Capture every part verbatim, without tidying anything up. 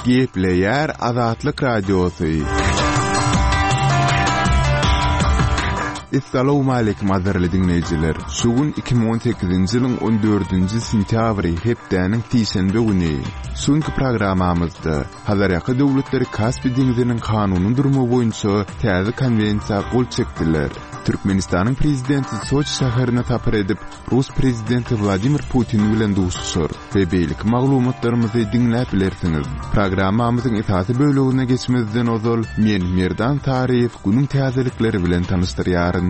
Gepleýär Azatlyk Radiosy. Essalawmaleýkim gadyrly diňleýjiler. Şu gün iki müň on sekizinji ýylyň on dördünji sentýabry, hepdäniň sişenbe güni. Şu günki programmamyzda Hazarýaka döwletleri Kaspi deňziniň kanuny durumy boýunça täze konwensiýa gol çekdiler. Türkmenistanyň prezidenti Soçi şäherine sapar edip, Rus prezidenti Wladimir Putin bilen duşuşar we beýleki maglumatlarymyzy diňläp bilersiňiz. Programmamyzyň esasy bölegine geçmezden ozal, men Merdan Taryýew günüň täzelikleri bilen tanyşdyrýaryn.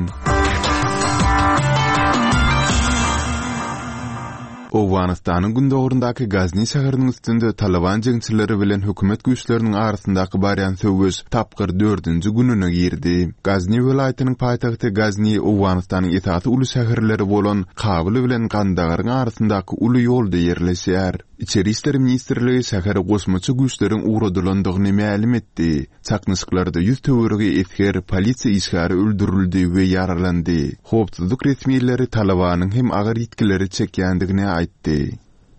Owganystanyň gündogaryndaky Gazni şäheriniň üstünde Taliban jeňçileri bilen hökümet güýçleriniň arasyndaky barýan söweş tapgyr dördünji gününe girdi. Gazni welaýatynyň paýtagty Gazni Owganystanyň esasy uly şäherleri bolan Kabul bilen Gandagaryň arasyndaky uly ýolda ýerleşýär. Içeri işler ministrligi şähere goşmaça güýçleriň ugradylandygyny mälim etdi. Çaknyşyklarda ýüz töweregi esger, polisiýa işgäri öldürildi we ýaralandy. Howpsuzlyk resmileri Talibanyň hem agyr ýitgileri çekýändigini aýtdy.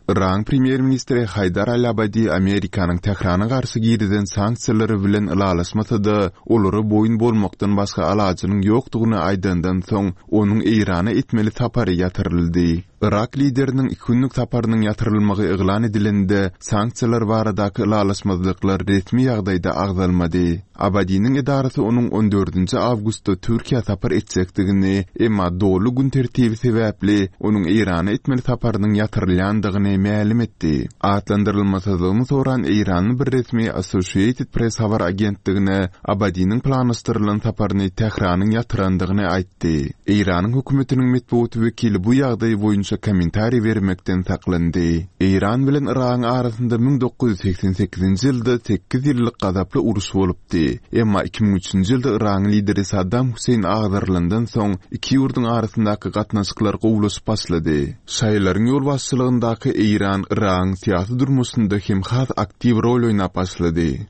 Yragyň premýer-ministri Haýdar al-Abadi Amerikanyň Tährana garşy girizen sanksiýalary bilen ylalaşmasa-da, olara boýun bolmakdan başga alajynyň ýokdugyny aýdandan soň, onuň Eýrana etmeli sapary ýatyryldy. Yrak lideriniň iki günlük saparynyň ýatyrylmagy yglan edilende, sanksiýalar baradaky ylalaşmazlyklar resmi ýagdaýda agzalmady. Abadiniň edarasy onuň on dördünji awgustda Türkiýä sapar etjekdigini, emma doly gün tertibi sebäpli onuň Eýrana etmeli saparynyň ýatyrylýandygyny mälim etdi. Atlandyrylmasyzlygyny soran Eýranly bir resmi Associated Press habar agentligine Abadiniň planlaşdyrylan saparyny Tähranyň ýatyrandygyny aýtdy. Eýranyň hökümetiniň metbugat wekili bu ýagdaý boýunça kommentariý bermekden saklandy. Eýran bilen Yragyň arasynda müň dokuz ýüz segsen sekizinji ýylda sekiz ýyllyk gazaply uruş bolupdy. Emma iki müň üçünji ýylda Yragyň lideri Saddam Hüseýin agdarylandan soň iki ýurduň arasyndaky gatnaşyklar gowulaşyp başlady. Şaýlaryň ýolbaşçylygyndaky Eýran Yragyň syýasy durmuşynda hem has aktiw rol oýnap başlady.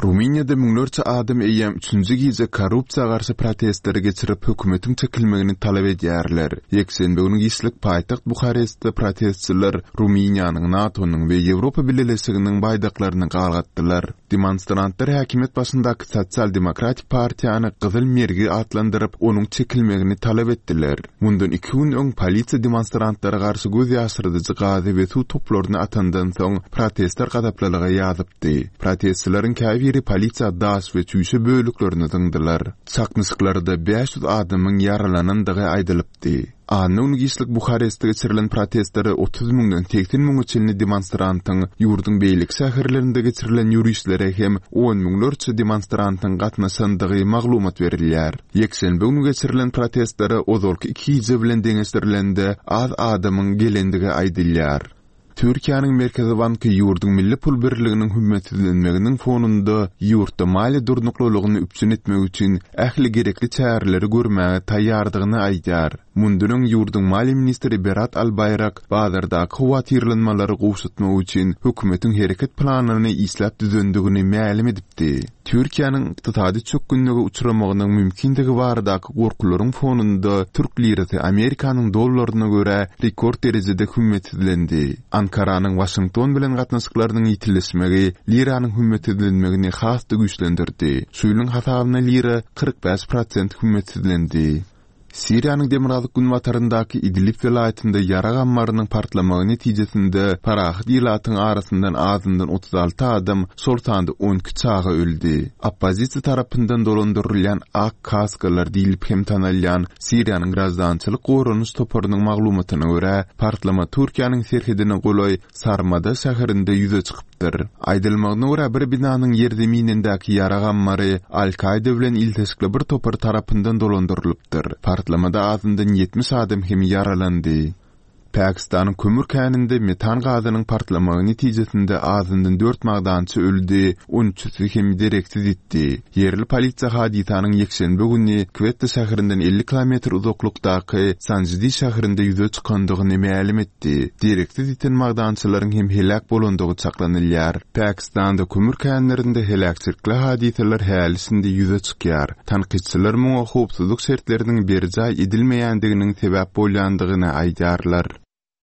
Rumyniýada müňlerçe adam eýýäm üçünji gije korrupsiýa garşy protestleri geçirip hökümetiň çekilmegini talap edýärler. Ýekşenbe güni giçlik paýtagt Buharestde protestçiler Rumyniýanyň, NATO-nyň we Ýewropa Bileleşiginiň baýdaklaryny galgatdylar. Demonstrantlar häkimiýet başyndaky Sosial-demokratik partiýany Gyzyl Mergi atlandyryp, onuň çekilmegini talap etdiler. Mundan iki gün öň polisiýa demonstrantlara garşy göz ýaşyrdyjy gazy we suw toplaryny atandan soň protestler gazaplylyga ýazypdy. Protestçileriň käbiri polisiýa daş we çüýşe bölüklerini zyňdylar. Çaknyşyklarda bäş ýüz adamyň ýaralanandygy aýdylypdy. Anna güni giçlik Buharestde geçirilen protestlere otuz müňden segsen müňe çenli demonstrantyň, ýurduň beýleki şäherlerinde geçirilen ýürişlere hem on müňlerçe demonstrantyň gatnaşandygy maglumat berilýär. Ýekşenbe güni geçirilen protestlere ozalky iki gije bilen deňeşdirilende az adamyň gelendigi aýdylýar. Türkiýäniň Merkezi banky ýurduň milli pul birliginiň hümmetsizlenmeginiň fonunda ýurtda maliýe durnuklylygyny üpjün etmek üçin ähli gerekli çäreleri görmäge taýýardygyny aýdýar. Mundan öň ýurduň maliýe ministri Berat Albaýrak bazardaky howatyrlanmalary gowşatmak üçin hökümetiň hereket planyny işläp düzendigini mälim edipdi. Türkiýäniň ykdysady çökgünlige uçramagynyň mümkindigi baradaky gorkularyň fonunda Türk lirasy Amerikanyň dollaryna görä rekord derejede hümmetsizlendi. Ankaranyň Waşington bilen gatnaşyklarynyň ýitileşmegi liranyň hümmetsizlenmegini has-da güýçlendirdi. Şu ýylyň hasabyna lira kyrk bäş prosent hümmetsizlendi. Siriýanyň demirgazyk günbataryndaky Idlib welaýatynda ýarag ammarynyň partlamagy netijesinde parahat ilatyň arasyndan azyndan otuz alty adam, şol sanda on iki çaga öldi. Oppozisiýa tarapyndan dolandyrylýan ak kaskalar diýlip hem tanalýan Siriýanyň graždançylyk goranyş toparynyň maglumatyna görä, partlama Türkiýäniň serhedine golaý Sarmada şäherinde ýüze çykypdyr. Aýdylmagyna görä, bir binanyň ýerzeminindäki ýarag ammary Al-Kaida bilen ilteşikli bir topar tarapyndan dolandyrylypdyr. Partlamada azyndan ýetmiş adam hem ýaralandy. Pakistanyň kömür käninde metan gazynyň partlamagy netijesinde azyndan dört magdançy öldi, on üçüsi hem dereksiz ýitdi. Ýerli polisiýa hadysanyň ýekşenbe güni Kwetta şäherinden elli kilometr uzaklykdaky Sanjidi şäherinde ýüze çykandygyny mälim etdi. Dereksiz ýiten magdançylaryň hem heläk bolandygy çaklanylýar. Pakistanda kömür känlerinde heläkçilikli hadysalar häli şindi ýüze çykýar. Tankytçylar muňa howpsuzlyk şertleriniň berjaý edilmeýändiginiň sebäp bolýandygyny aýdýarlar.